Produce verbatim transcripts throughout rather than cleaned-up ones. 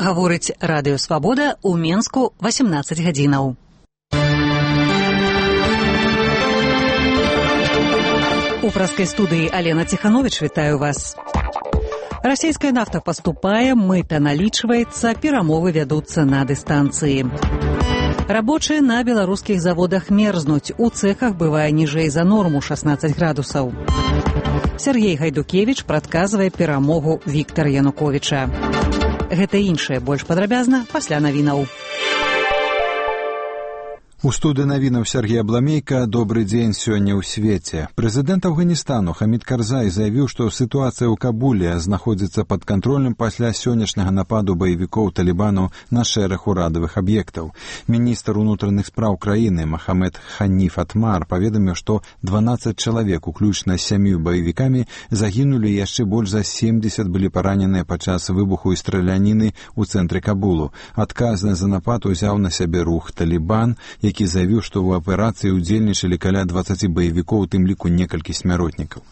Гаворыць радыё «Свабода» ў Менску васемнаццаць гадзінаў. У праскай студыі Алена Ціханович вітаю вас. Расійская нафта паступае, мыта налічваецца, перамовы вядуцца на дыстанцыі. Рабочыя на беларускіх заводах мерзнуць, у цэхах бывае ніжэй за норму шаснаццаць градусаў. Сергей Гайдукевіч прадказвае перамогу Віктара Януковіча. Гэта і іншае больш падрабязна пасля навінаў. У студыі навінаў Сергей Абламейка. Добры дзень сёння ў свеце. Прэзідэнт Афганістану Хамід Карзай заявіў, што сітуацыя ў Кабуле знаходзіцца пад кантролем пасля сённяшняга нападу баевікоў Талібану на шэраг урадавых аб'ектаў. Міністр унутраных спраў краіны Махамед Ханіф Атмар паведаміў, што дванаццаць чалавек, уключна з сямю баевікамі, загінулі, яшчэ больш за семдзесят былі параненыя падчас выбуху і страляніны ў цэнтры Кабулу. Адказнасць за напад узяў на сябе рух Талібан, які заявіў, што ў аперацыі ўдзельнічалі каля дваццаці баевікоў, у тым ліку некалькі смяротнікаў.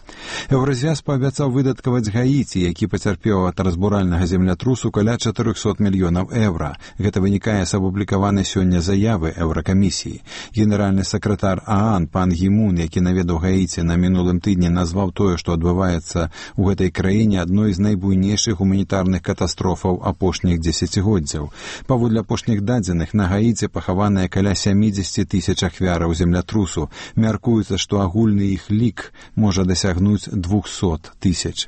Еўразвяз паабяцаў выдаткаваць Гаіці, які пацярпеў ад разбуральнага землятрусу, каля чатырохсот мільёнаў еўра. Гэта вынікае з апублікаванай сёння заявы Еўракамісіі. Генеральны сакратар ААН пан Гімун, які наведаў Гаіці на мінулым тыдні, назваў тое, што адбываецца ў гэтай краіне, адной з найбуйнейшых гуманітарных катастрофаў апошніх дзесяцігоддзяў. Паводле апошніх дадзеных, на Гаіці пахаваныя каля сямідзесят тысяч ахвяраў землятрусу. Мяркуецца, што агульны іх лік можа дасягнуць двухсот тысяч.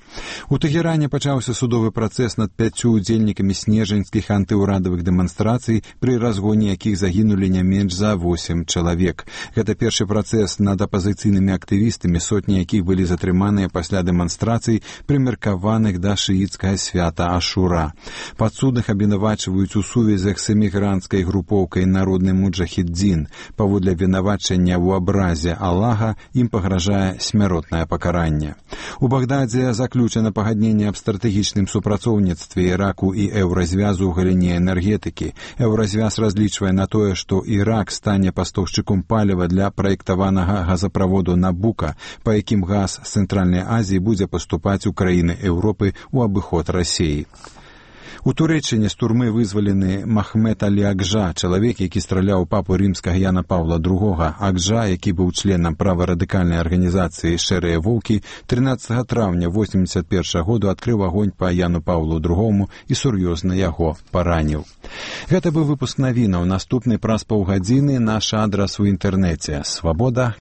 У Тэгеране пачаўся судовы працэс над пяццю удзельнікамі снежаньскіх антыўрадавых дэманстрацый, пры разгоне якіх загінулі не менш за восем чалавек. Гэта першы працэс над апазіцыйнымі актывістамі, сотні якіх былі затрыманыя пасля дэманстрацый, прымеркаваных да шыіцкага свята Ашура. Падсудных абвінавачваюць у сувязях з эмігранцкай групоўкай «Народны муджахіддзін». Паводле абвінавачання ў абразе Аллаха ім пагражае смяротнае пакаранне. У Багдадзе заключана пагадненне аб стратэгічным супрацоўніцтве Іраку і Еўразвязу ў галіне энергетыкі. Еўразвяз разлічвае на тое, што Ірак стане пастаўшчыком паліва для праектаванага газаправоду Набука, па якім газ з Цэнтральнай Азіі будзе паступаць у краіны Еўропы ў абыход Расіі. У Турэччыне з турмы вызвалены Махмед Алі Акжа, чалавек, які страляў папу рымскага Яна Паўла другога. Акжа, які быў членам праварадыкальнай арганізацыі «Шэрыя воўкі», трынаццатага траўня восемьдесят першага году адкрыў агонь па Яну Паўлу другому і сур'ёзна яго параніў. Гэта быў выпуск навінаў. Наступны праз паўгадзіны наш адрас у інтэрнэце свабода